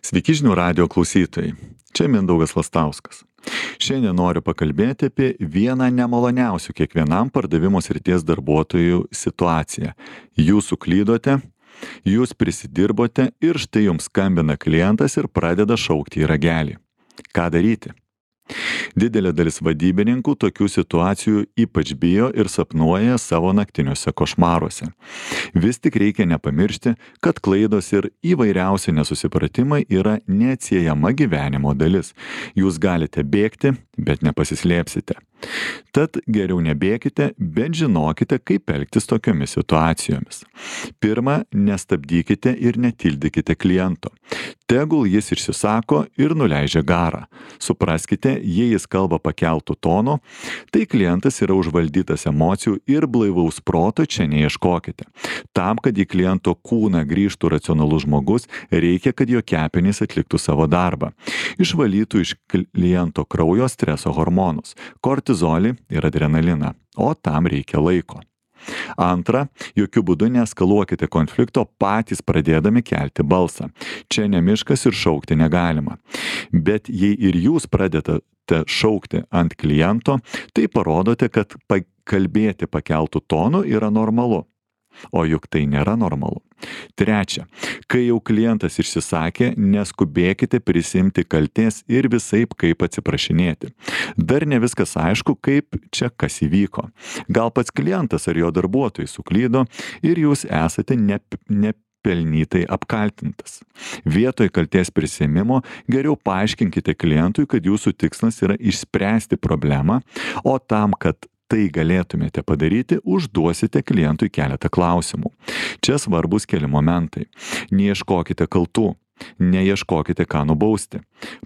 Sveiki žinių radijo klausytojai. Čia Mindaugas Lastauskas. Šiandien noriu pakalbėti apie vieną nemaloniausių kiekvienam pardavimo srities darbuotojų situaciją. Jūs suklydote, jūs prisidirbote ir štai jums skambina klientas ir pradeda šaukti į ragelį. Ką daryti? Didelė dalis vadybininkų tokių situacijų ypač bijo ir sapnuoja savo naktiniuose košmaruose. Vis tik reikia nepamiršti, kad klaidos ir įvairiausi nesusipratimai yra neatsiejama gyvenimo dalis. Jūs galite bėgti, bet nepasislėpsite. Tad geriau nebėkite, bet žinokite, kaip elgtis tokiomis situacijomis. Pirma, nestabdykite ir netildykite kliento. Tegul jis išsisako ir nuleidžia garą. Supraskite, jei jis kalba pakeltų tonu, tai klientas yra užvaldytas emocijų ir blaivaus proto čia neieškokite. Tam, kad į kliento kūną grįžtų racionalus žmogus, reikia, kad jo kepenys atliktų savo darbą. Išvalytų iš kliento kraujo streso hormonus – kortizolį ir adrenaliną, o tam reikia laiko. Antra, jokių būdų neeskaluokite konflikto patys pradėdami kelti balsą. Čia ne miškas ir šaukti negalima. Bet jei ir jūs pradedate šaukti ant kliento, tai parodote, kad kalbėti pakeltų tonu yra normalu. O juk tai nėra normalu. Trečia, kai jau klientas išsisakė, neskubėkite prisimti kaltės ir visaip kaip atsiprašinėti. Dar ne viskas aišku, kaip čia kas įvyko. Gal pats klientas ar jo darbuotojai suklydo ir jūs esate nepelnytai apkaltintas. Vietoj kaltės prisiėmimo geriau paaiškinkite klientui, kad jūsų tikslas yra išspręsti problemą, o tam, kad tai galėtumėte padaryti, užduosite klientui keletą klausimų. Čia svarbus keli momentai. Neieškokite kaltų, neieškokite ką nubausti.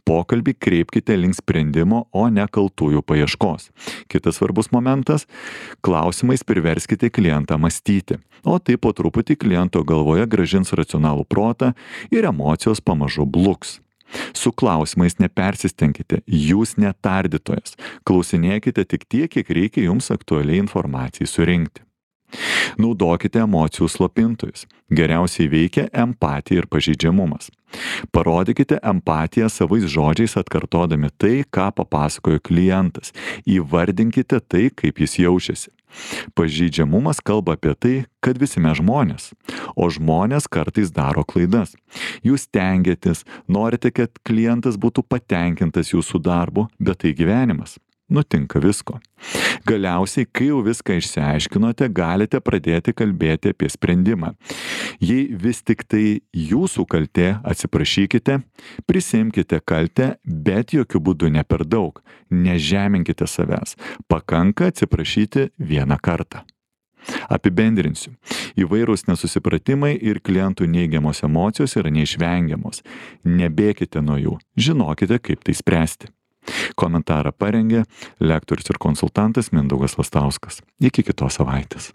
Pokalbį kreipkite link sprendimo, o ne kaltųjų paieškos. Kitas svarbus momentas – klausimais priverskite klientą mąstyti, o tai po truputį kliento galvoje grąžins racionalų protą ir emocijos pamažu bluks. Su klausimais nepersistenkite, jūs netardytojas. Klausinėkite tik tiek, kiek reikia jums aktualiai informacijai surinkti. Naudokite emocijų slopintojus. Geriausiai veikia empatija ir pažeidžiamumas. Parodykite empatiją savais žodžiais atkartodami tai, ką papasakojo klientas. Įvardinkite tai, kaip jis jaučiasi. Pažeidžiamumas kalba apie tai, kad visi mes žmonės, o žmonės kartais daro klaidas. Jūs stengiatės, norite, kad klientas būtų patenkintas jūsų darbu, bet tai gyvenimas. Nutinka visko. Galiausiai, kai jau viską išsiaiškinote, galite pradėti kalbėti apie sprendimą. Jei vis tik tai jūsų kaltė, atsiprašykite, prisimkite kaltę, bet jokių būdų ne per daug. Nežeminkite savęs. Pakanka atsiprašyti vieną kartą. Apibendrinsiu. Įvairūs nesusipratimai ir klientų neigiamos emocijos yra neišvengiamos. Nebėkite nuo jų. Žinokite, kaip tai spręsti. Komentarą parengė lektorius ir konsultantas Mindaugas Lastauskas. Iki kitos savaitės.